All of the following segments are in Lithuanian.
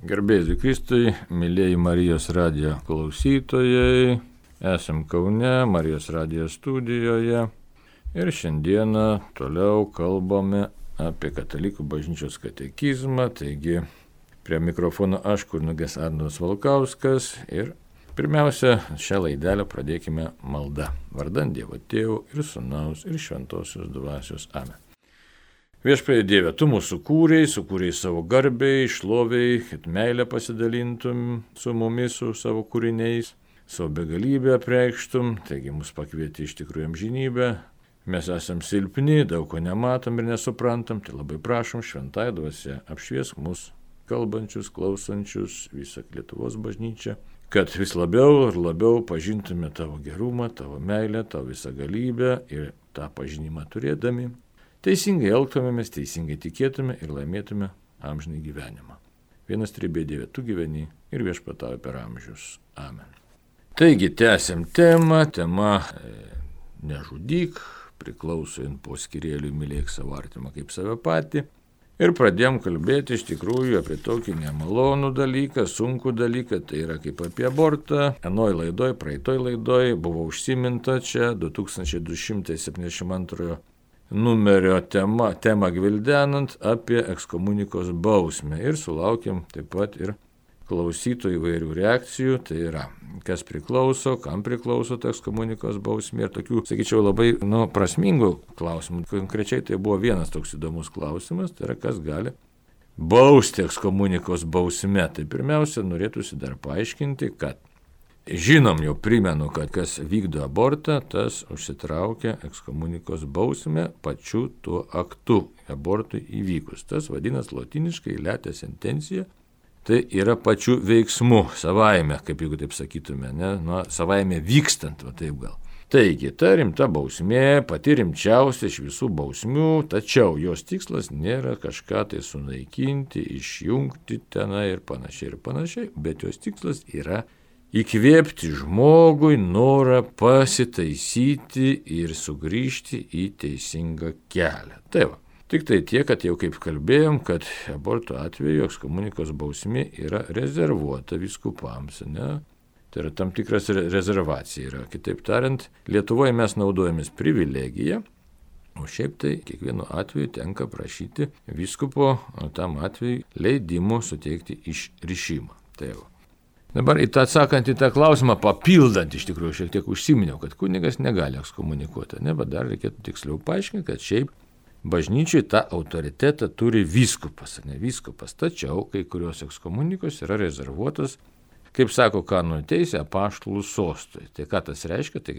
Garbėsiu Kristui, mėlyjeji Marijos radijo klausytojai, esam Kaune, Marijos radijo studijoje ir šiandieną toliau kalbame apie Katalikų bažnyčios katekizmą, taigi prie mikrofono aš, kunigas Arnoldas Valkauskas ir pirmiausia, šią laidelę pradėkime malda, vardan Dievo Tėvo ir Sūnaus ir Šventosios Dvasios. Amen. Viešpatie Dieve, Tu mūsų sukūrei savo garbei, šloviai, kad meilę pasidalintum su mumis, su savo kūriniais, savo begalybę apreikštum, taigi mus pakvieti iš tikrųjų amžinybę. Mes esam silpni, daug ko nematom ir nesuprantam, tai labai prašom Šventai Dvasia apšviesk mus, kalbančius, klausančius, visą Lietuvos bažnyčią, kad vis labiau ir labiau pažintume Tavo gerumą, Tavo meilę, Tavo visą galybę ir tą pažinimą turėdami. Teisingai elgtumėmės, teisingai tikėtume ir laimėtume amžinai gyvenimą. Vienas tribė Dieve, Tu gyveni ir viešpatauji per amžius. Amen. Taigi, tęsiam temą. Tema nežudyk, priklausant po skyrėliui mylėk savo artimą kaip save patį. Ir pradėjom kalbėti iš tikrųjų apie tokį nemalonų dalyką, sunkų dalyką, tai yra kaip apie abortą. Praeitoj laidoj buvo užsiminta čia 2272 numerio temą gvildenant apie ekskomunikos bausmę ir sulaukėm taip pat ir klausytojų įvairių reakcijų, tai yra, kas priklauso, kam priklauso ta ekskomunikos bausmė ir tokių, sakyčiau, labai prasmingų klausimų. Konkrečiai tai buvo vienas toks įdomus klausimas, tai yra, kas gali bausti ekskomunikos bausmę. Tai pirmiausia, norėtųsi dar paaiškinti, kad žinom, jau primenu, kad kas vykdo abortą, tas užsitraukia ekskomunikos bausmę pačiu tuo aktu abortui įvykus. Tas vadinas lotiniškai lete sentencija, tai yra pačiu veiksmu savaime, kaip jeigu taip sakytume, savaime vykstant, taip gal. Taigi, ta rimta bausmė, pati rimčiausia iš visų bausmių, tačiau jos tikslas nėra kažką tai sunaikinti, išjungti tenai ir panašiai, bet jos tikslas yra įkvėpti žmogui norą pasitaisyti ir sugrįžti į teisingą kelią. Tai va, tik tai tiek, kad jau kaip kalbėjom, kad aborto atveju ekskomunikos bausmė yra rezervuota vyskupams, ne? Tai yra tam tikras rezervacija yra. Kitaip tariant, Lietuvoje mes naudojamės privilegiją, o šiaip tai kiekvienu atveju tenka prašyti vyskupo tam atveju leidimo suteikti išrišimą. Tai va. Dabar atsakant į tą klausimą, papildant iš tikrųjų šiek tiek užsiminiau, kad kunigas negali ekskomunikuoti, bet dar reikėtų tiksliau paaiškinti, kad šiaip bažnyčiai tą autoritetą turi vyskupas, ne vyskupas, tačiau kai kurios ekskomunikos yra rezervuotos, kaip sako kanonų teisė, apaštalų sostui. Tai ką tas reiškia, tai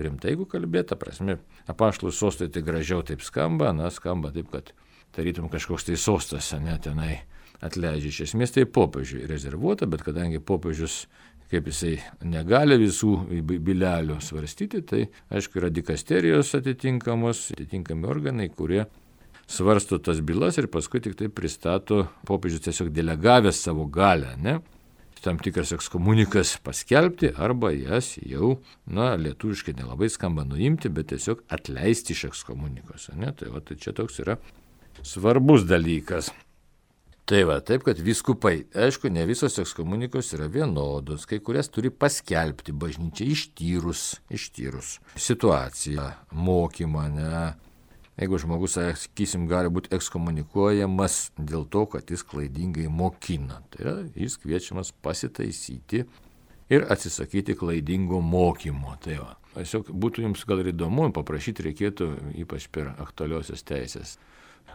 rimtai jeigu kalbėta, prasme, apaštalų sostui tai gražiau taip skamba, skamba taip, kad tarytum kažkoks tai sostas, tenai atleidžia. Iš esmės tai popiežiui rezervuota, bet kadangi popiežius, kaip jisai negali visų bylelių svarstyti, tai aišku yra dikasterijos atitinkami organai, kurie svarsto tas bylas ir paskui tik tai pristato popiežius tiesiog delegavęs savo galią, tam tikras ekskomunikas paskelbti arba jas jau, lietuviškai nelabai skamba nuimti, bet tiesiog atleisti iš ekskomunikos. Tai čia toks yra svarbus dalykas. Tai va, taip, kad vyskupai, aišku, ne visos ekskomunikos yra vienodos, kai kurias turi paskelbti bažnyčia ištyrus situaciją, mokymą, Jeigu žmogus, sakysim, gali būti ekskomunikuojamas dėl to, kad jis klaidingai mokina, tai yra, jis kviečiamas pasitaisyti ir atsisakyti klaidingo mokymo. Tai va, tiesiog būtų jums gal ir įdomu, paprašyti reikėtų ypač per aktualiosios teisės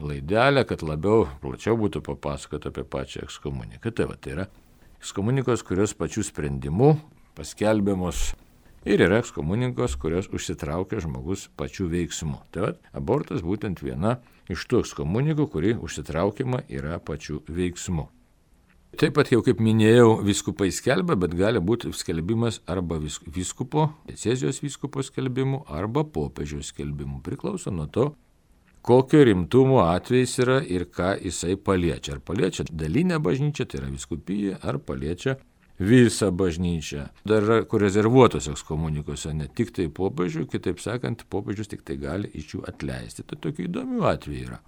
laidelę, kad plačiau būtų papasakoti apie pačią ekskomuniką. Tai yra ekskomunikos, kurios pačių sprendimų paskelbiamos ir yra ekskomunikos, kurios užsitraukia žmogus pačių veiksmų. Tai abortas būtent viena iš tų ekskomunikų, kuri užsitraukiama yra pačių veiksmų. Taip pat jau kaip minėjau, vyskupai skelbia, bet gali būti skelbimas arba vyskupo, diecezijos vyskupo skelbimu, arba popiežiaus skelbimu. Priklauso nuo to, kokio rimtumo atvejis yra ir ką jisai paliečia. Ar paliečia dalinę bažnyčią, tai yra vyskupiją, ar paliečia visą bažnyčią. Dar yra kur rezervuotos ekskomunikose, ne tik tai popiežių, kitaip sakant, popiežius tik tai gali iš jų atleisti. Tai tokių įdomių atvejų yra.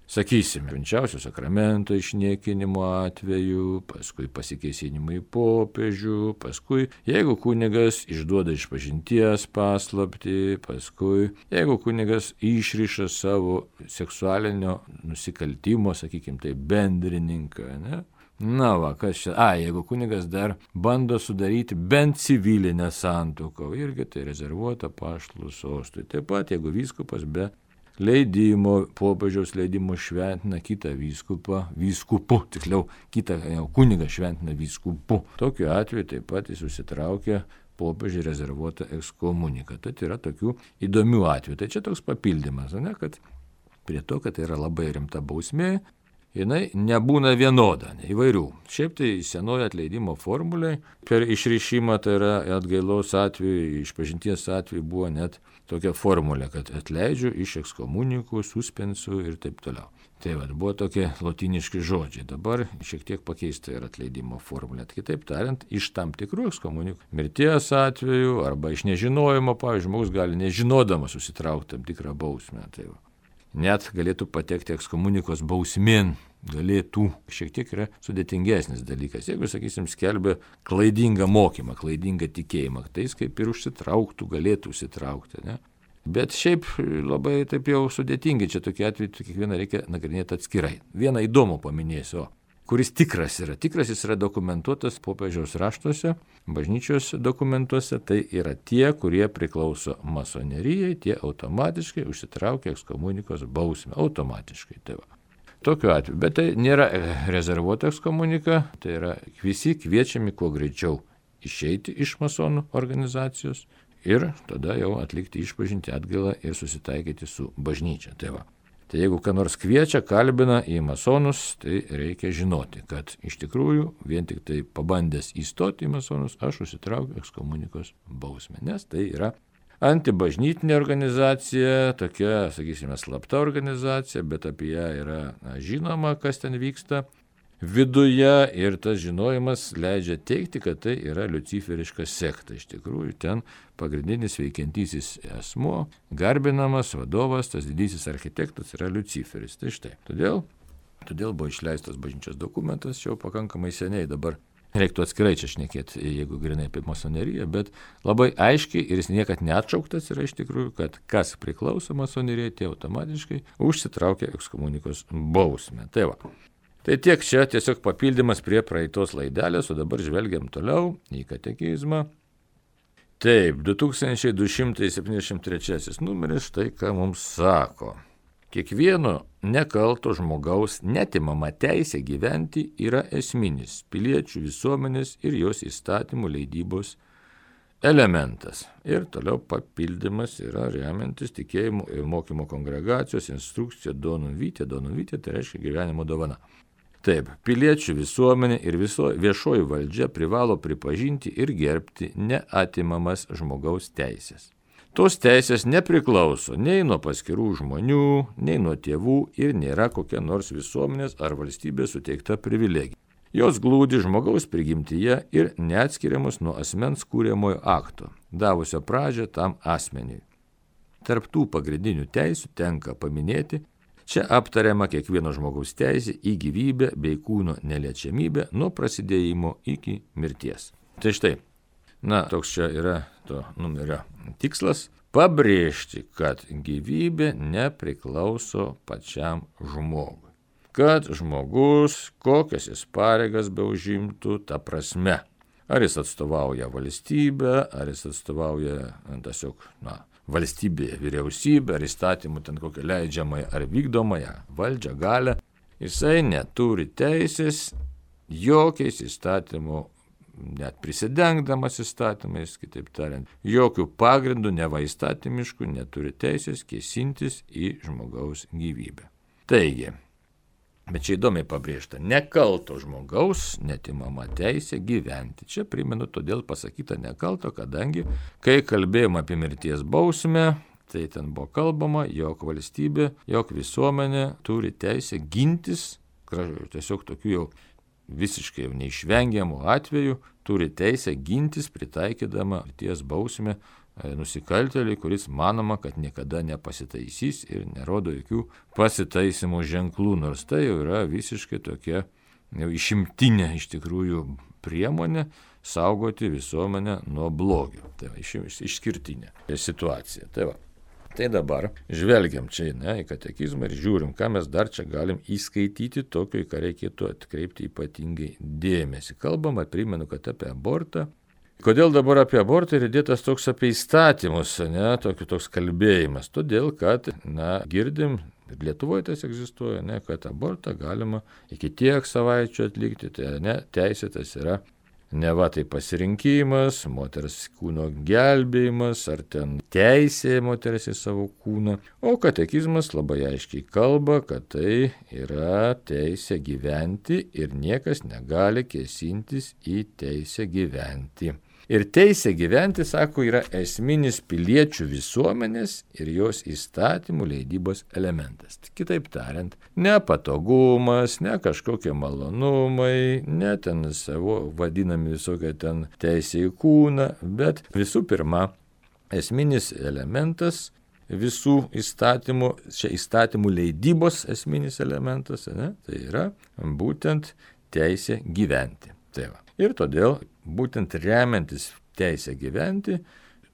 Sakysime, švenčiausio sakramento išniekinimo atveju, paskui pasikėsinimai į popiežių, paskui jeigu kunigas išduoda išpažinties paslaptį, paskui jeigu kunigas išriša savo seksualinio nusikaltimo, sakykime, tai bendrininką, ne? Na va, kas čia? Jeigu kunigas dar bando sudaryti bent civilinę santuoką, irgi tai rezervuota apaštalų sostui. Taip pat, jeigu vyskupas be leidimo, popiežiaus leidimo šventina kitą vyskupu, tiksliau, kitą kunigą šventina vyskupu. Tokiu atveju taip pat jis užsitraukia popiežiui rezervuotą ekskomuniką. Tai yra tokių įdomių atvejų. Tai čia toks papildymas, ne, kad prie to, kad tai yra labai rimta bausmė, jinai nebūna vienoda, įvairių. Šiaip tai senojo atleidimo formuliai per išrišimą, tai yra atgailos atveju, išpažinties atveju buvo net tokia formulė, kad atleidžiu iš ekskomunikų, suspensų ir taip toliau. Tai buvo tokie lotyniški žodžiai. Dabar šiek tiek pakeista yra atleidimo formulė. Kitaip tariant, iš tam tikrų ekskomunikų mirties atveju arba iš nežinojimo, pavyzdžiui, žmogus gali nežinodamas susitraukti tam tikrą bausmę. Tai net galėtų patekti ekskomunikos bausmėn, galėtų. Šiek tiek yra sudėtingesnis dalykas. Jeigu, sakysim, skelbia klaidingą mokymą, klaidingą tikėjimą, tai jis kaip ir užsitrauktų, galėtų užsitraukti, ne? Bet šiaip labai taip jau sudėtingai, čia tokie atvejai, kiekvieną reikia nagrinėti atskirai. Vieną įdomų paminėsiu, kuris tikras yra. Tikras jis yra dokumentuotas popiežiaus raštuose, bažnyčios dokumentuose, tai yra tie, kurie priklauso masonerijai, tie automatiškai užsitraukia ekskomunikos bausmę. Automatiškai. Tai va. Tokiu atveju. Bet tai nėra rezervuota ekskomunika, tai yra visi kviečiami kuo greičiau išeiti iš masonų organizacijos ir tada jau atlikti išpažinti atgailą ir susitaikyti su bažnyčia. Tai va. Tai jeigu ką nors kviečia, kalbina į masonus, tai reikia žinoti, kad iš tikrųjų vien tik tai pabandęs įstoti į masonus, aš užsitraukiu ekskomunikos bausmę, nes tai yra antibažnytinė organizacija, tokia, sakysime, slapta organizacija, bet apie ją yra žinoma, kas ten vyksta viduje ir tas žinojimas leidžia teikti, kad tai yra liuciferiška sekta. Iš tikrųjų, ten pagrindinis veikiantysis asmuo, garbinamas vadovas, tas didysis architektas yra Liuciferis. Tai štai. Todėl buvo išleistas bažnyčios dokumentas jau pakankamai seniai, dabar reiktų atskirai čia šnekėti, jeigu grinai apie masoneriją, bet labai aiškiai ir jis niekad neatšauktas yra iš tikrųjų, kad kas priklauso masonerijai, tie automatiškai užsitraukia ekskomunikos bausmę. Tai va. Tai tiek čia tiesiog papildymas prie praeitos laidelės, o dabar žvelgiam toliau į katekizmą. Taip, 2273 numeris štai ką mums sako. Kiekvieno nekalto žmogaus netimama teisė gyventi yra esminis piliečių visuomenės ir jos įstatymų leidybos elementas. Ir toliau papildymas yra remiantis tikėjimo ir mokymo kongregacijos instrukcija Donum Vitae. Donum Vitae tai reiškia gyvenimo dovana. Taip, piliečių visuomenė ir viešoji valdžia privalo pripažinti ir gerbti neatimamas žmogaus teisės. Tos teisės nepriklauso nei nuo paskirų žmonių, nei nuo tėvų ir nėra kokia nors visuomenės ar valstybės suteikta privilegija. Jos glūdi žmogaus prigimtyje ir neatskiriamos nuo asmens kūriamojo akto, davusio pradžią tam asmeniui. Tarp tų pagrindinių teisių tenka paminėti, čia aptariama kiekvieno žmogaus teisė į gyvybę bei kūno neliečiamybę nuo prasidėjimo iki mirties. Tai štai, toks čia yra to numerio tikslas – pabrėžti, kad gyvybė nepriklauso pačiam žmogui. Kad žmogus, kokias jis pareigas beužimtų, ta prasme, ar jis atstovauja valstybę, ar jis atstovauja tiesiog, valstybė, vyriausybė, ar įstatymų ten kokią leidžiamąją ar vykdomąją valdžią, galę, jisai neturi teisės jokiais įstatymų, net prisidengdamas įstatymais, kitaip tariant, jokių pagrindų, neva įstatymiškų, neturi teisės kėsintis į žmogaus gyvybę. Taigi, bet čia įdomiai pabrėžta, nekalto žmogaus netimama teisė gyventi. Čia primenu, todėl pasakyta nekalto, kadangi, kai kalbėjom apie mirties bausmę, tai ten buvo kalbama, jog valstybė, jog visuomenė turi teisę gintis, tiesiog tokių jau visiškai neišvengiamų atvejų, turi teisę gintis pritaikydama mirties bausmę nusikaltėlį, kuris manoma, kad niekada nepasitaisys ir nerodo jokių pasitaisymo ženklų, nors tai jau yra visiškai tokia jau išimtinė iš tikrųjų priemonė saugoti visuomenę nuo blogio. Tai va, išskirtinė situacija. Tai dabar žvelgiam čia į katekizmą ir žiūrim, ką mes dar čia galim įskaityti tokio, į ką reikėtų atkreipti ypatingai dėmesį. Kalbama, primenu, kad apie abortą. Kodėl dabar apie abortą ir įdėtas toks apie įstatymus, toks kalbėjimas? Todėl, kad, girdim, ir Lietuvoje tas egzistuoja, kad abortą galima iki tiek savaičių atlikti, tai teisėtas yra neva tai pasirinkimas, moters kūno gelbėjimas, ar ten teisė moters į savo kūną. O katekizmas labai aiškiai kalba, kad tai yra teisė gyventi ir niekas negali kėsintis į teisę gyventi. Ir teisė gyventi, sako, yra esminis piliečių visuomenės ir jos įstatymų leidybos elementas. Kitaip tariant, ne patogumas, ne kažkokie malonumai, ne ten savo vadinami visokie ten teisė į kūną, bet visų pirma, esminis elementas visų įstatymų, čia įstatymų leidybos esminis elementas, tai yra būtent teisė gyventi. Ir todėl būtent remiantis teisę gyventi,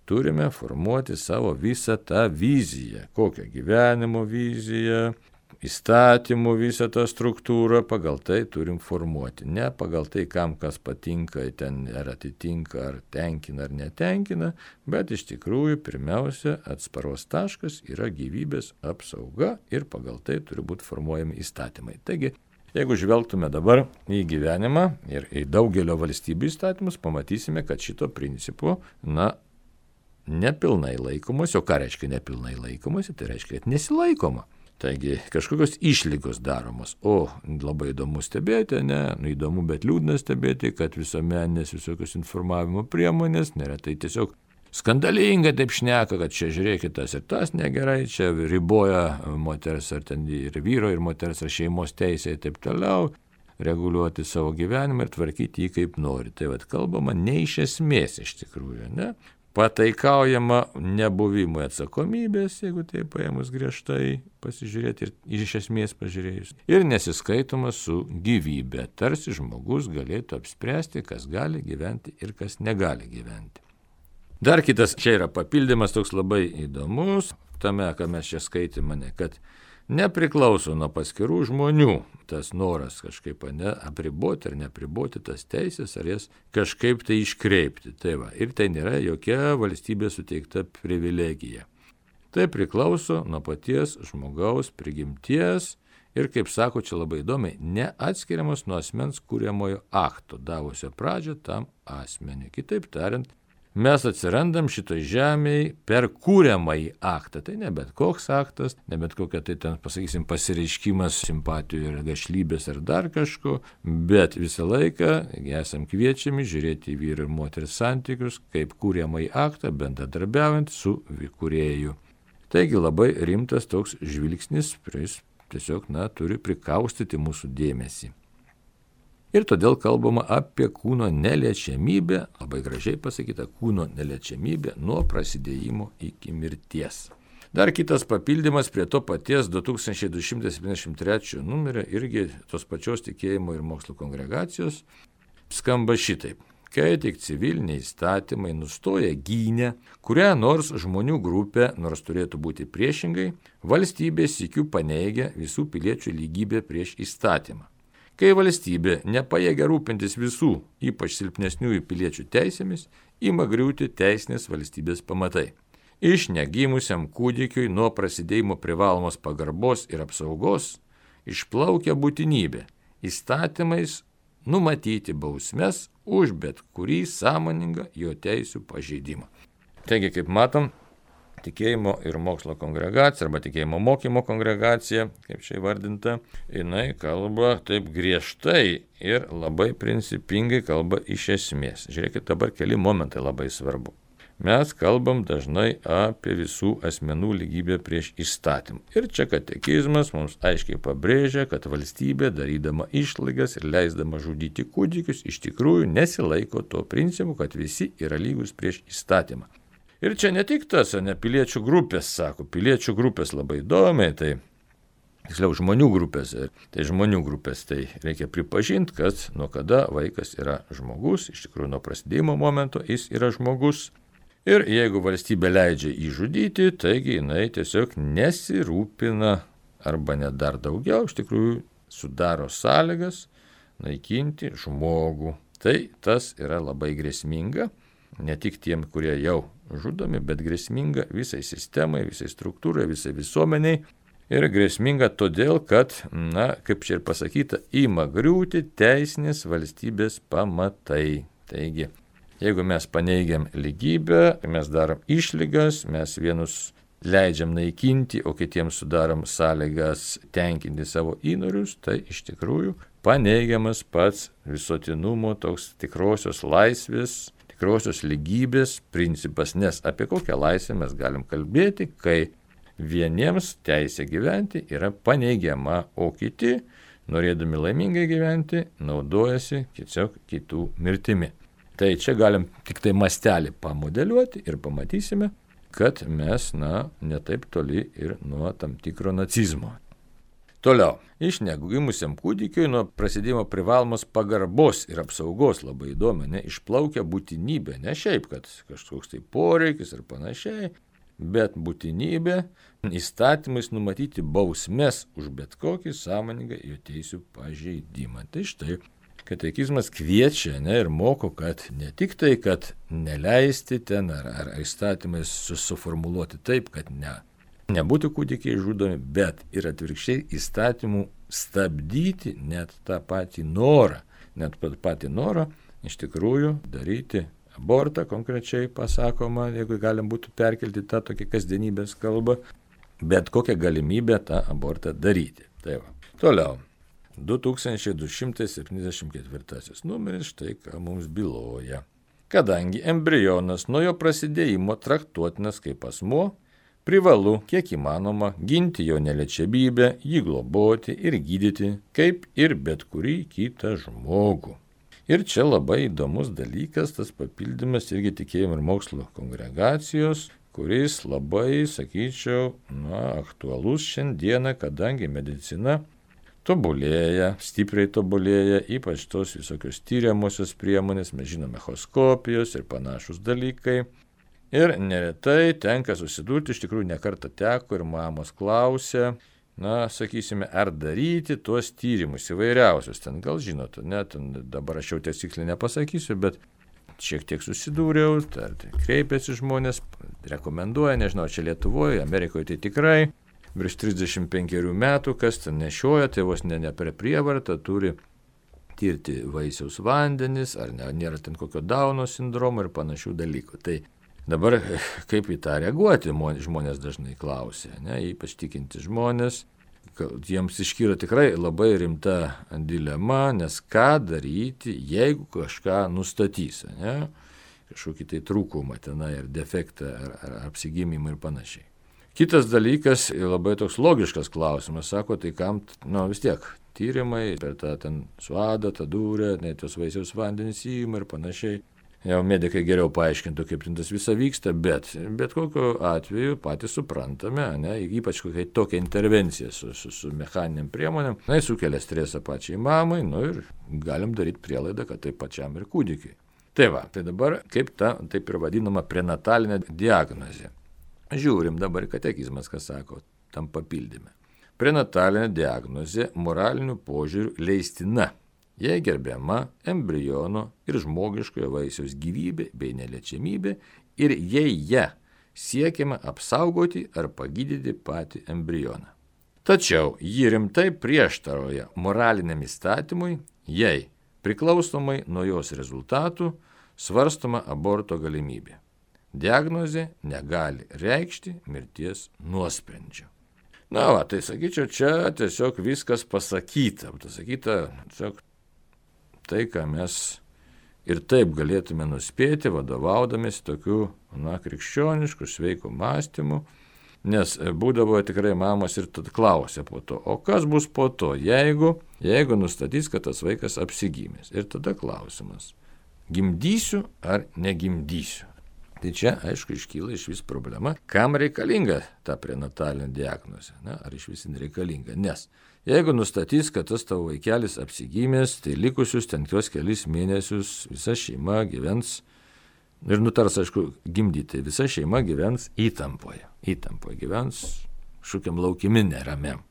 turime formuoti savo visą tą viziją. Kokią gyvenimo viziją, įstatymų visą tą struktūrą, pagal tai turim formuoti. Ne pagal tai, kam kas patinka, ten ar atitinka, ar tenkina, ar netenkina, bet iš tikrųjų pirmiausia atsparos taškas yra gyvybės apsauga ir pagal tai turi būti formuojami įstatymai. Taigi, jeigu žvelgtume dabar į gyvenimą ir į daugelio valstybių įstatymus, pamatysime, kad šito principo, nepilnai laikomasi. O ką reiškia nepilnai laikomasi? Tai reiškia, kad nesilaikoma. Taigi kažkokios išlygos daromos. O labai įdomu stebėti, įdomu, bet liūdna stebėti, kad visuomeninės visokios informavimo priemonės neretai tiesiog skandalingai taip šneka, kad čia žiūrėkit tas ir tas negerai, čia riboja moters ar ten ir vyro, ir moters ar šeimos teisė ir taip toliau, reguliuoti savo gyvenimą ir tvarkyti jį kaip nori. Tai kalbama ne iš esmės iš tikrųjų, Pataikaujama nebuvimui atsakomybės, jeigu tai paėmus griežtai pasižiūrėti ir iš esmės pažiūrėjus. Ir nesiskaitoma su gyvybė, tarsi žmogus galėtų apspręsti, kas gali gyventi ir kas negali gyventi. Dar kitas čia yra papildymas toks labai įdomus, tame, ką mes čia skaitėme, kad nepriklauso nuo paskirų žmonių tas noras kažkaip apriboti ar neapriboti tas teisės, ar jas kažkaip tai iškreipti. Ir tai nėra jokia valstybė suteikta privilegija. Tai priklauso nuo paties žmogaus prigimties ir, kaip sako čia labai įdomiai, neatskiriamas nuo asmens kuriamojo akto, davusio pradžią tam asmeniui. Kitaip tariant, mes atsirandam šitoj žemėje per kūriamąjį aktą. Tai ne bet koks aktas, ne bet kokia tai ten, pasakysim, pasireiškimas simpatijų ir gašlybės ar dar kažko, bet visą laiką esam kviečiami žiūrėti į vyro ir moters santykius kaip kūriamąjį aktą, bendradarbiaujant su kūrėju. Taigi labai rimtas toks žvilgsnis, kuris tiesiog turi prikaustyti mūsų dėmesį. Ir todėl kalbama apie kūno neliečiamybę, labai gražiai pasakyta, kūno neliečiamybė nuo prasidėjimo iki mirties. Dar kitas papildymas prie to paties 2273 numerio, irgi tos pačios tikėjimo ir mokslo kongregacijos, skamba šitaip. Kai tik civiliniai įstatymai nustoja gynę, kurią nors žmonių grupę, nors turėtų būti priešingai, valstybė sykiu paneigia visų piliečių lygybę prieš įstatymą. Kai valstybė nepajėgia rūpintis visų, ypač silpnesniųjų piliečių teisėmis, ima griūti teisinės valstybės pamatai. Iš negimusiam kūdikiui nuo prasidėjimo privalomos pagarbos ir apsaugos išplaukia būtinybė įstatymais numatyti bausmes už bet kurį sąmoningą jo teisių pažeidimą. Taigi, kaip matom, tikėjimo ir mokslo kongregacija arba tikėjimo mokymo kongregacija, kaip čia įvardinta, jinai kalba taip griežtai ir labai principingai kalba iš esmės. Žiūrėkit, dabar keli momentai labai svarbu. Mes kalbam dažnai apie visų asmenų lygybę prieš įstatymą. Ir čia katekizmas mums aiškiai pabrėžia, kad valstybė, darydama išlygas ir leisdama žudyti kūdikius, iš tikrųjų nesilaiko to principu, kad visi yra lygus prieš įstatymą. Ir čia ne tik tas, ne piliečių grupės, sako, piliečių grupės labai įdomiai, tai tiksliau žmonių grupės, tai reikia pripažinti, kad nuo kada vaikas yra žmogus, iš tikrųjų nuo prasidėjimo momento jis yra žmogus. Ir jeigu valstybė leidžia jį žudyti, taigi jinai tiesiog nesirūpina arba net dar daugiau, iš tikrųjų sudaro sąlygas naikinti žmogų. Tai tas yra labai grėsminga, ne tik tiem, kurie jau žudomi, bet grėsminga visai sistemai, visai struktūrai, visai visuomeniai. Ir grėsminga todėl, kad, kaip čia ir pasakyta, ima griūti teisinės valstybės pamatai. Taigi, jeigu mes paneigiam lygybę, mes darom išlygas, mes vienus leidžiam naikinti, o kitiems sudarom sąlygas tenkinti savo įnorius, tai iš tikrųjų paneigiamas pats visuotinumo toks tikrosios laisvės, tikrosios lygybės principas, nes apie kokią laisvę mes galim kalbėti, kai vieniems teisė gyventi yra paneigiama, o kiti, norėdami laimingai gyventi, naudojasi tiesiog kitų mirtimi. Tai čia galim tik tai mastelį pamodeliuoti ir pamatysime, kad mes, netaip toli ir nuo tam tikro nacizmo. Toliau, iš negimusiam kūdikiui nuo prasidėjimo privalomos pagarbos ir apsaugos labai įdomi, išplaukia būtinybė, ne šiaip, kad kažkoks tai poreikis ir panašiai, bet būtinybė įstatymais numatyti bausmes už bet kokį sąmoningą jo teisių pažeidimą. Tai štai, katekizmas kviečia ir moko, kad ne tik tai, kad neleisti ten ar įstatymais suformuluoti taip, kad nebūtų kūdikiai žudomi, bet ir atvirkščiai įstatymų stabdyti net tą patį norą, iš tikrųjų daryti abortą, konkrečiai pasakoma, jeigu galim būtų perkelti tą tokį kasdienybės kalbą, bet kokią galimybę tą abortą daryti. Tai va. Toliau. 2274 numeris, štai ką mums byloja. Kadangi embrionas nuo jo prasidėjimo traktuotinas kaip asmuo, privalu, kiek įmanoma, ginti jo neliečiamybę, jį globoti ir gydyti, kaip ir bet kurį kitą žmogų. Ir čia labai įdomus dalykas, tas papildymas irgi tikėjimo ir mokslo kongregacijos, kuris labai, sakyčiau, aktualus šiandieną, kadangi medicina tobulėja, stipriai tobulėja, ypač tos visokios tyriamosios priemonės, mes žinome, echoskopijos ir panašus dalykai. Ir neretai tenka susidurti, iš tikrųjų nekartą teko ir mamos klausia, sakysime, ar daryti tuos tyrimus įvairiausius. Ten gal žinot, dabar aš jau tiksliai nepasakysiu, bet šiek tiek susidūriau, kreipiasi žmonės, rekomenduoja, nežinau, čia Lietuvoje, Amerikoje tai tikrai, virš 35 metų, kas ten nešioja, tai vos ne per prievartą turi tirti vaisiaus vandenis, ar nėra ten kokio Dauno sindromo ir panašių dalykų. Tai dabar kaip į tą reaguoti, žmonės dažnai klausia, ypač tikinti žmonės, jiems iškyla tikrai labai rimta dilema, nes ką daryti, jeigu kažką nustatys, kažkokį tai trūkumą tenai, ar defektą, ar apsigimimą ir panašiai. Kitas dalykas, labai toks logiškas klausimas, sako, tai kam, vis tiek, tyrimai, per tą ten suadą, tą dūrę, tos vaisiaus vandenys įima ir panašiai. Jau medikai geriau paaiškintų, kaip tas visa vyksta, bet kokiu atveju patys suprantame, ypač kokia tokia intervencija su mechaniniam priemonėm, sukelia stresą pačiai mamai, ir galim daryti prielaidą, kad tai pačiam ir kūdikiai. Tai dabar kaip ta, taip ir vadinama prenatalinė diagnozė. Žiūrim dabar katekizmas, kas sako, tam papildyme. Prenatalinė diagnozė moraliniu požiūriu leistina, jei gerbiama embriono ir žmogiškojo vaisiaus gyvybė bei neliečiamybė ir jei ją siekiama apsaugoti ar pagydyti patį embrioną. Tačiau ji rimtai prieštarauja moraliniam įstatymui, jei priklausomai nuo jos rezultatų svarstoma aborto galimybė. Diagnozė negali reikšti mirties nuosprendžio. Tai sakyčiau, čia tiesiog viskas pasakyta. Tiesiog tai, ką mes ir taip galėtume nuspėti, vadovaudamės tokiu, krikščionišku, sveiku mąstymu, nes būdavo tikrai mamos ir tad klausė po to, o kas bus po to, jeigu nustatys, kad tas vaikas apsigimęs. Ir tada klausimas, gimdysiu ar negimdysiu. Tai čia, aišku, iškyla iš vis problema, kam reikalinga ta prenatalinė diagnozė, ar iš vis nereikalinga, nes jeigu nustatys, kad tas tavo vaikelis apsigimęs, tai likusius ten tuos kelis mėnesius visa šeima gyvens ir nutars, aišku, gimdyti, visa šeima gyvens įtampoje gyvens šūkiam laukimi neramiam.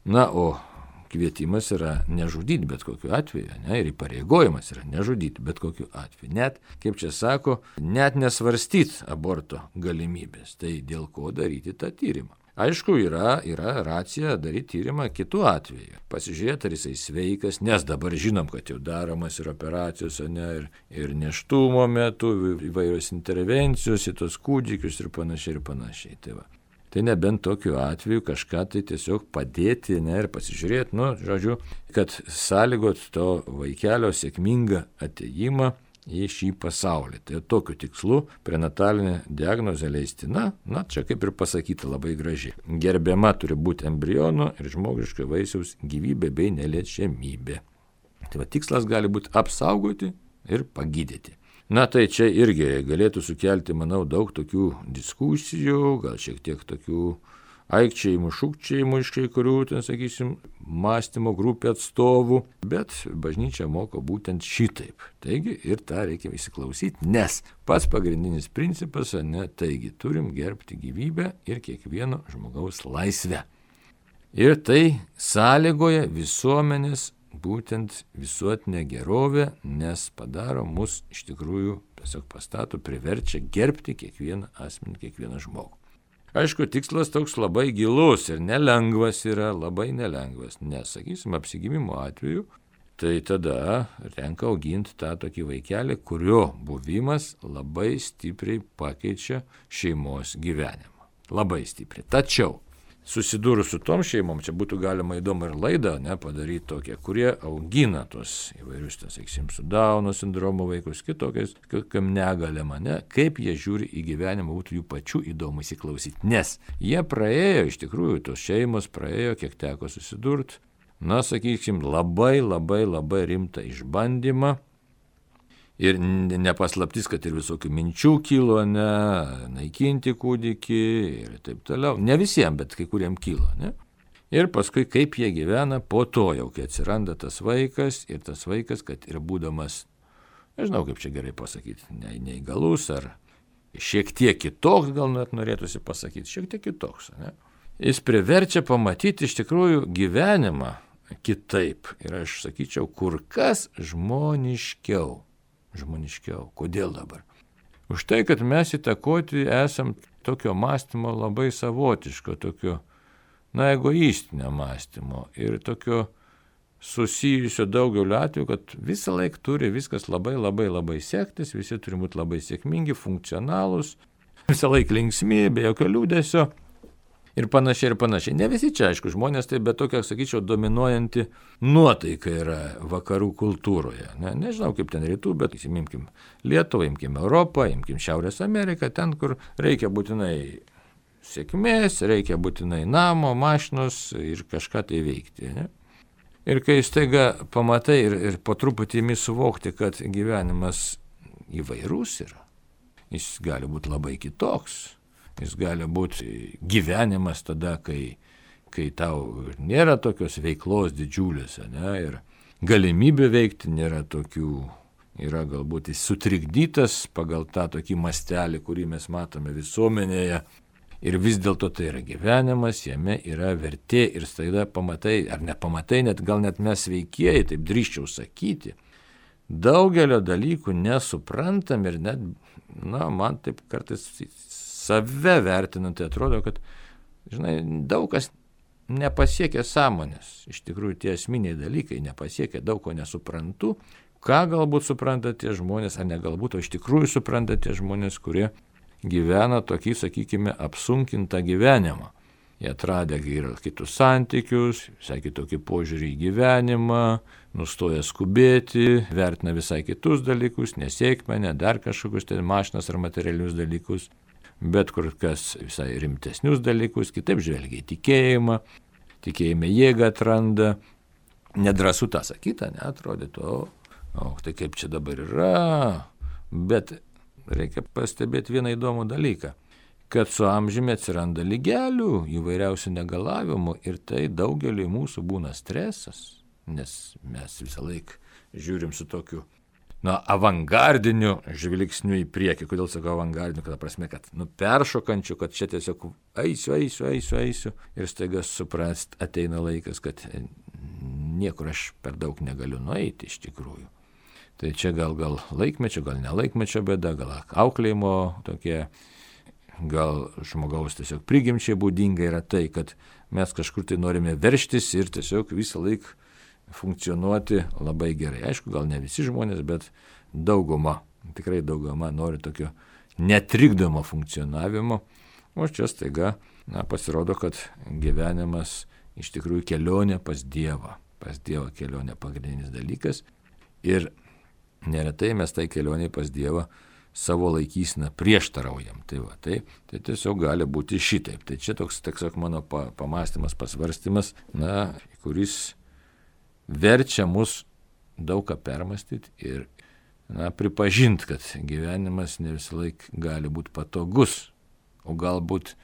Na, o kvietimas yra nežudyti bet kokiu atveju, ir įpareigojimas yra nežudyti bet kokiu atveju. Net, kaip čia sako, net nesvarstyti aborto galimybės. Tai dėl ko daryti tą tyrimą? Aišku, yra racija daryti tyrimą kitų atveju. Pasižiūrėti, ar jisai sveikas, nes dabar žinom, kad jau daromas ir operacijos, ir nėštumo metu, įvairios intervencijos į tos kūdikius ir panašiai. Tai nebent tokiu atveju kažką tai tiesiog padėti ir pasižiūrėti, kad sąlygot to vaikelio sėkmingą atėjimą į šį pasaulį. Tai tokiu tikslu prenatalinė diagnozė leistina, čia kaip ir pasakyta labai gražiai. Gerbiama turi būti embriono ir žmogiško vaisiaus gyvybė bei neliečiamybė. Tai tikslas gali būti apsaugoti ir pagydyti. Tai čia irgi galėtų sukelti, manau, daug tokių diskusijų, gal šiek tiek tokių aikčiojimų, šūkčiojimų iš kai kurių, mąstymo grupė atstovų, bet bažnyčia moko būtent šitaip. Taigi ir tą reikia įsiklausyti, nes pats pagrindinis principas, taigi turim gerbti gyvybę ir kiekvieno žmogaus laisvę. Ir tai sąlygoja visuomenės būtent visuotinė gerovė, nes padaro mus iš tikrųjų, tiesiog pastato, priverčia gerbti kiekvieną asmenį, kiekvieną žmogų. Aišku, tikslas toks labai gilus ir nelengvas yra, labai nelengvas, nes, apsigimimo atveju, tai tada renka auginti tą tokį vaikelį, kurio buvimas labai stipriai pakeičia šeimos gyvenimą. Labai stipriai. Tačiau susidūrus su tom šeimom, čia būtų galima įdomu ir laidą padaryti tokie, kurie augina tos įvairius, su Dauno sindromo vaikus, kitokiais, kokiam negalėm, kaip jie žiūri į gyvenimą, būtų jų pačių įdomu įsiklausyti. Nes jie praėjo, iš tikrųjų, tos šeimos praėjo, kiek teko susidurti, labai rimtą išbandymą. Ir nepaslaptis, kad ir visokių minčių kilo, naikinti kūdikį ir taip toliau. Ne visiems, bet kai kuriem kilo. Ir paskui kaip jie gyvena po to jau, kai atsiranda tas vaikas, kad ir būdamas, nežinau kaip čia gerai pasakyti, neįgalus ar šiek tiek kitoks, gal net norėtųsi pasakyti, šiek tiek kitoks. Jis priverčia pamatyti iš tikrųjų gyvenimą kitaip. Ir aš sakyčiau, kur kas žmoniškiau. Kodėl dabar? Už tai, kad mes įtakoti esam tokio mąstymo labai savotiško, tokio, egoistinio mąstymo ir tokio susijusio daugeliu atveju, kad visą laiką turi viskas labai sektis, visi turi būti labai sėkmingi, funkcionalūs, visą laiką linksmi, be jokio liūdesio. Ir panašiai. Ne visi čia, aišku, žmonės, tai bet tokia, sakyčiau, dominuojanti nuotaika yra vakarų kultūroje. Nežinau, kaip ten rytų, bet imkim Lietuvą, imkim Europą, imkim Šiaurės Ameriką, ten, kur reikia būtinai sėkmės, reikia būtinai namo, mašinos ir kažką tai veikti. Ir kai staiga pamatai ir po truputį imi suvokti, kad gyvenimas įvairus yra, jis gali būti labai kitoks. Jis gali būti gyvenimas tada, kai tau nėra tokios veiklos didžiulės, ir galimybė veikti nėra tokių, yra galbūt jis sutrikdytas pagal tą tokį mastelį, kurį mes matome visuomenėje. Ir vis dėlto tai yra gyvenimas, jame yra vertė ir staiga pamatai, ar nepamatai, gal net mes veikėjai, taip drįsčiau sakyti, daugelio dalykų nesuprantam ir net, man taip kartais save vertinant, tai atrodo, kad, daug kas nepasiekia sąmonės. Iš tikrųjų, tie esminiai dalykai nepasiekia, daug ko nesuprantu. Ką galbūt supranta tie žmonės, ar ne galbūt, o iš tikrųjų supranta tie žmonės, kurie gyvena tokį, sakykime, apsunkintą gyvenimą. Jie atradę kitus santykius, visai kitokį požiūrį į gyvenimą, nustoja skubėti, vertina visai kitus dalykus, nesėkmę, ne dar kažkokius mašinas ar materialius dalykus, bet kur kas visai rimtesnius dalykus, kitaip žvelgia į tikėjimą, tikėjime jėgą atranda, nedrąsu tą sakyti, atrodytų, tai kaip čia dabar yra, bet reikia pastebėti vieną įdomų dalyką, kad su amžiumi atsiranda lygelių, įvairiausių negalavimų ir tai daugeliui mūsų būna stresas, nes mes visą laiką žiūrim su tokiu avangardiniu žvilgsniu į priekį. Kodėl sakau avangardiniu, kad prasme, kad peršokančiu, kad čia tiesiog eisiu ir staiga suprast ateina laikas, kad niekur aš per daug negaliu nueiti iš tikrųjų. Tai čia gal laikmečio, gal nelaikmečio bėda, gal auklėjimo tokie, gal žmogaus tiesiog prigimčiai būdinga yra tai, kad mes kažkur tai norime verštis ir tiesiog visą laiką funkcionuoti labai gerai. Aišku, gal ne visi žmonės, bet tikrai dauguma nori tokio netrikdomo funkcionavimo, o čia staiga pasirodo, kad gyvenimas iš tikrųjų kelionė pas Dievą. Pas Dievą kelionė pagrindinis dalykas ir neretai mes tai kelionė pas Dievą savo laikyseną prieštaraujam. Tai tiesiog gali būti šitaip. Tai čia toks mano pamastymas, pasvarstymas, kuris verčia mus daug ką permastyti ir pripažinti, kad gyvenimas ne visą laiką gali būti patogus, o galbūt,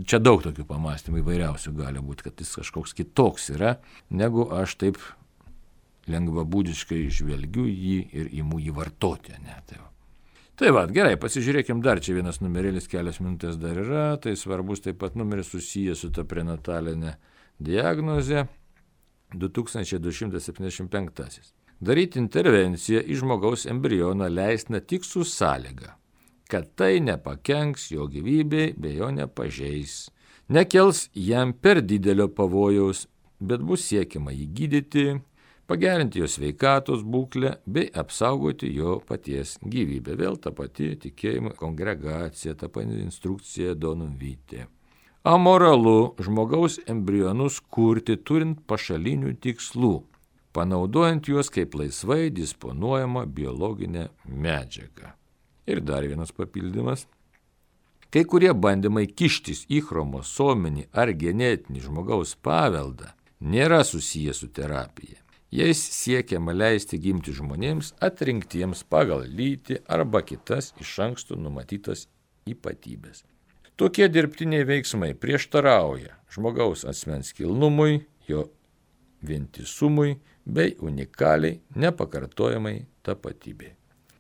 čia daug tokių pamastymų įvairiausių gali būti, kad jis kažkoks kitoks yra, negu aš taip lengvabūdiškai žvelgiu jį ir imu jį vartoti. Tai gerai, pasižiūrėkim dar, čia vienas numerėlis, kelias minutės dar yra, tai svarbus taip pat numeris susijęs su ta prenatalinė diagnozė. 2275. Daryti intervenciją į žmogaus embrioną leistina tik su sąlyga, kad tai nepakenks jo gyvybei bei jo nepažeis, nekels jam per didelio pavojaus, bet bus siekiama jį gydyti, pagerinti jo sveikatos būklę bei apsaugoti jo paties gyvybę. Vėl ta pati tikėjimo kongregacija, ta pati instrukcija Donum Vitae. Amoralu žmogaus embrionus kurti turint pašalinių tikslų, panaudojant juos kaip laisvai disponuojama biologinė medžiaga. Ir dar vienas papildymas. Kai kurie bandymai kištis į chromosominį ar genetinį žmogaus paveldą nėra susiję su terapija. Jais siekiama leisti gimti žmonėms atrinktiems pagal lytį arba kitas iš anksto numatytas ypatybės. Tokie dirbtiniai veiksmai prieštarauja žmogaus asmens kilnumui, jo vientisumui bei unikaliai nepakartojamai tapatybei.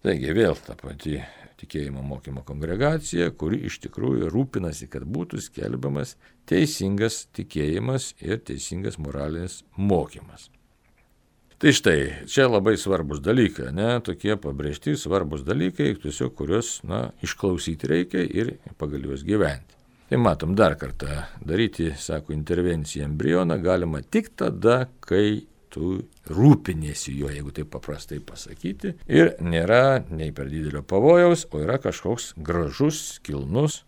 Taigi vėl ta pati tikėjimo mokymo kongregacija, kuri iš tikrųjų rūpinasi, kad būtų skelbiamas teisingas tikėjimas ir teisingas moralinis mokymas. Tai štai, čia labai svarbus dalykai, tokie pabrėžti svarbus dalykai, tiesiog kuriuos, išklausyti reikia ir pagal juos gyventi. Tai matom dar kartą, daryti, sako, intervenciją embrioną galima tik tada, kai tu rūpiniesi juo, jeigu taip paprastai pasakyti, ir nėra nei per didelio pavojaus, o yra kažkoks gražus, kilnus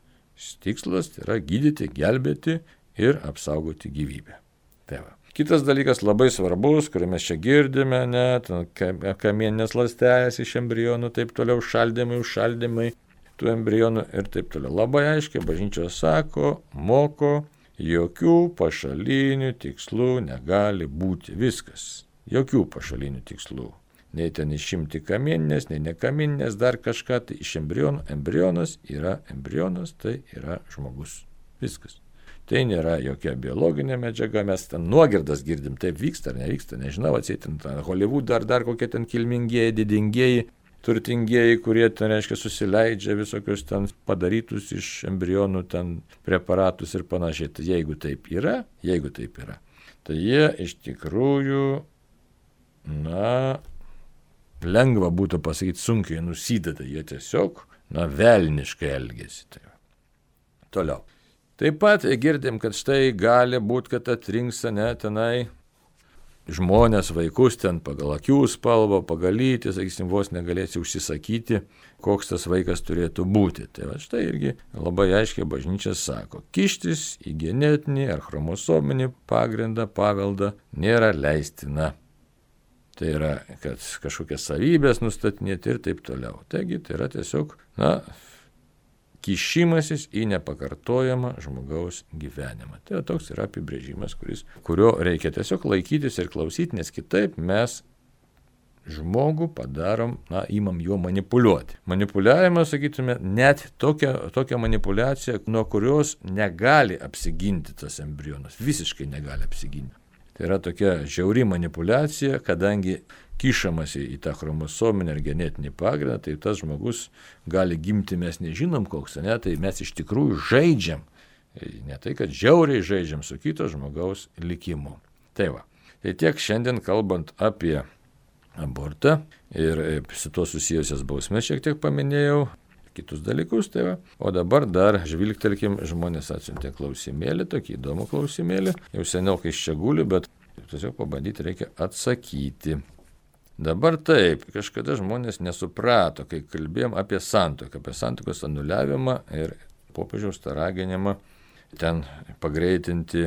tikslas, tai yra gydyti, gelbėti ir apsaugoti gyvybę. Tai va. Kitas dalykas labai svarbus, kurį mes čia girdime, kamieninės ląstelės iš embrionų, taip toliau, užšaldymai tų embrionų ir taip toliau. Labai aiškiai bažnyčia sako, moko, jokių pašalinių tikslų negali būti. Viskas. Jokių pašalinių tikslų. Nei ten išimti kamieninės, nei nekamieninės, dar kažką, tai iš embrionų. Embrionas yra embrionas, tai yra žmogus. Viskas. Tai nėra jokia biologinė medžiaga, mes ten nuogirdas girdim, taip vyksta ar nevyksta, nežinau, atsėtin Hollywood ar dar kokie ten kilmingieji, didingieji, turtingieji, kurie ten, reiškia, susileidžia visokius ten padarytus iš embrionų ten preparatus ir panašiai. Tai jeigu taip yra, tai jie iš tikrųjų, lengva būtų pasakyti, sunkiai nusideda, jie tiesiog, velniškai elgesi. Tai. Toliau. Taip pat girdim, kad štai gali būti, kad atrinks tenai žmonės, vaikus ten pagal akių spalvą, pagal lytį, sakysim, vos negalėsi užsisakyti, koks tas vaikas turėtų būti. Tai va štai irgi labai aiškiai bažnyčia sako, kištis į genetinį ar chromosominį pagrindą, paveldą nėra leistina. Tai yra, kad kažkokias savybės nustatinėti ir taip toliau. Taigi tai yra tiesiog, kišimasis į nepakartojamą žmogaus gyvenimą. Tai toks yra apibrėžimas, kurio reikia tiesiog laikytis ir klausyti, nes kitaip mes žmogų padarom, imam juo manipuliuoti. Manipuliavimas, sakytume, net tokia manipuliacija, nuo kurios negali apsiginti tas embrionas, visiškai negali apsiginti. Tai yra tokia žiauri manipuliacija, kadangi kišamasi į tą chromosominį ar genetinį pagrindą, tai tas žmogus gali gimti, mes nežinom koks, ne, tai mes iš tikrųjų žaidžiam. Ne tai, kad žiauriai žaidžiam su kito žmogaus likimu. Tai va. Tai tiek šiandien kalbant apie abortą ir su to susijusias bausmes šiek tiek paminėjau, kitus dalykus, tai va. O dabar dar žvilgtelkim, žmonės atsiuntė klausimėlį, tokį įdomų klausimėlį, jau seniau kai čia guli, bet tiesiog pabandyti reikia atsakyti. Dabar taip, kažkada žmonės nesuprato, kai kalbėjom apie santuoką, apie santuokos anuliavimą ir popiežiaus tą raginimą ten pagreitinti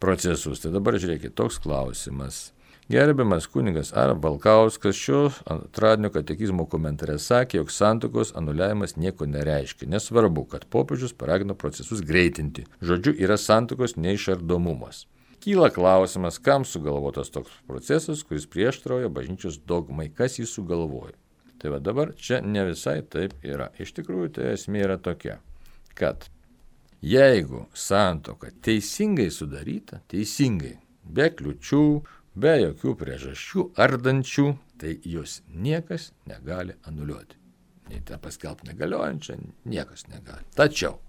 procesus. Tai dabar žiūrėkit, toks klausimas. Gerbiamas kunigas A. Balkauskas šio antradienio katekizmo komentare sakė, jog santuokos anuliavimas nieko nereiškia. Nesvarbu, kad popiežius paragino procesus greitinti. Žodžiu, yra santuokos neišardomumas. Kyla klausimas, kam sugalvotas toks procesas, kuris prieštarauja bažnyčios dogmai, kas jį sugalvojo. Tai va dabar čia ne visai taip yra. Iš tikrųjų, tai esmė yra tokia, kad jeigu santuoka teisingai sudaryta, be kliučių, be jokių priežasčių ardančių, tai jos niekas negali anuliuoti. Nei tą paskelbti negaliojančią, niekas negali. Tačiau,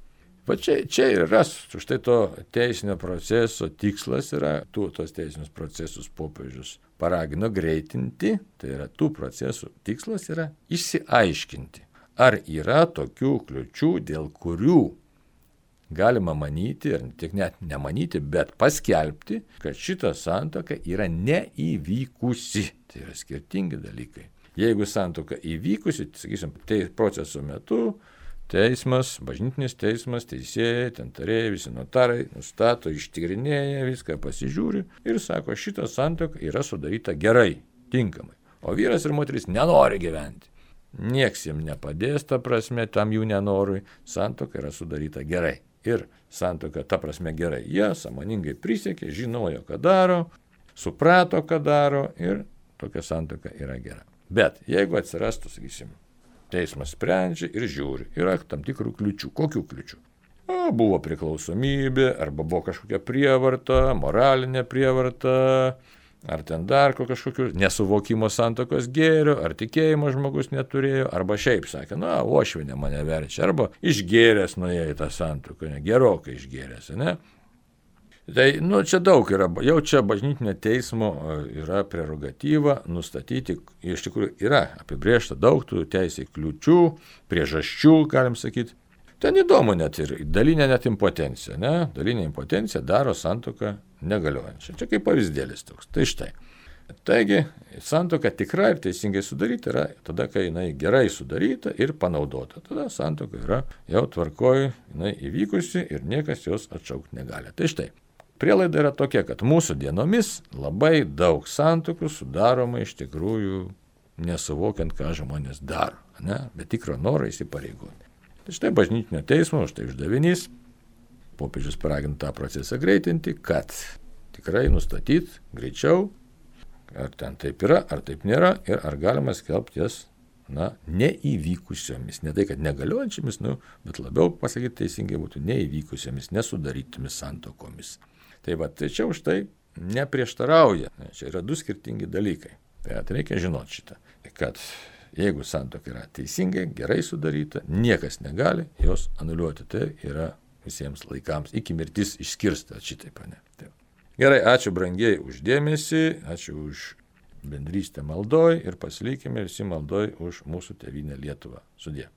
va čia ir yra, štai to teisinio proceso tikslas yra, tos teisinius procesus popiežius paragino greitinti, tai yra tų procesų tikslas yra išsiaiškinti, ar yra tokių kliučių, dėl kurių galima manyti, ir tik net nemanyti, bet paskelbti, kad šita santuoka yra neįvykusi. Tai yra skirtingi dalykai. Jeigu santuoka įvykusi, sakysim, proceso metu teismas, bažnytinis teismas, teisėjai, ten tarėjai, visi notarai nustato, ištyrinėja viską, pasižiūri ir sako, šita santuoka yra sudaryta gerai, tinkamai. O vyras ir moteris nenori gyventi. Nieks jiems nepadės, ta prasme, tam jų nenorui, santuoka yra sudaryta gerai. Ir santuoka, ta prasme, gerai. Jie sąmoningai prisiekė, žinojo, ką daro, suprato, ką daro ir tokia santuoka yra gera. Bet jeigu atsirastų, sakysim, teismas sprendžia ir žiūri, yra tam tikrų kliučių. Kokių kliučių? Buvo priklausomybė, arba buvo kažkokia prievarta, moralinė prievarta, ar ten dar kažkokių nesuvokimo santuokos gėrio, ar tikėjimo žmogus neturėjo, arba šiaip sakė, uošvinė mane verčia, arba išgėręs nuėjo į tą santuoką, gerokai išgėręs, ne? Tai, čia daug yra, jau čia bažnytinio teismo yra prerogatyva nustatyti, iš tikrųjų yra apibrėžta daug tų teisės kliučių, priežasčių, galim sakyti. Ten įdomu net ir dalinė net impotencija, ne? Dalinė impotencija daro santuoką negaliojančią. Čia kaip pavyzdėlis toks. Tai štai. Taigi, santuoka tikra ir teisingai sudaryta yra tada, kai jinai gerai sudaryta ir panaudota. Tada santuoka yra jau tvarkoj, jinai įvykusi ir niekas jos atšaukti negali. Tai štai. Prielaida yra tokia, kad mūsų dienomis labai daug santuokų sudaroma iš tikrųjų nesuvokiant, ką žmonės daro, ne? Be tikro noro įsipareigoti. Tai štai bažnytinio teismo, štai uždavinys, popiežius paragino tą procesą greitinti, kad tikrai nustatyti greičiau, ar ten taip yra, ar taip nėra, ir ar galima skelbti jas, neįvykusiomis. Ne tai, kad negaliojančiamis, bet labiau pasakyti teisingai būtų neįvykusiomis, nesudarytomis santuokomis. Tai va, tai čia už tai neprieštarauja. Čia yra du skirtingi dalykai. Tai reikia žinoti šitą, kad jeigu santuoka yra teisingai, gerai sudaryta, niekas negali jos anuliuoti. Tai yra visiems laikams, iki mirtis išskirsta šitaip, ne? Gerai, ačiū brangiai už dėmesį, ačiū už bendrystę maldoj ir pasilikime visi maldoj už mūsų tėvynę Lietuvą. Sudie.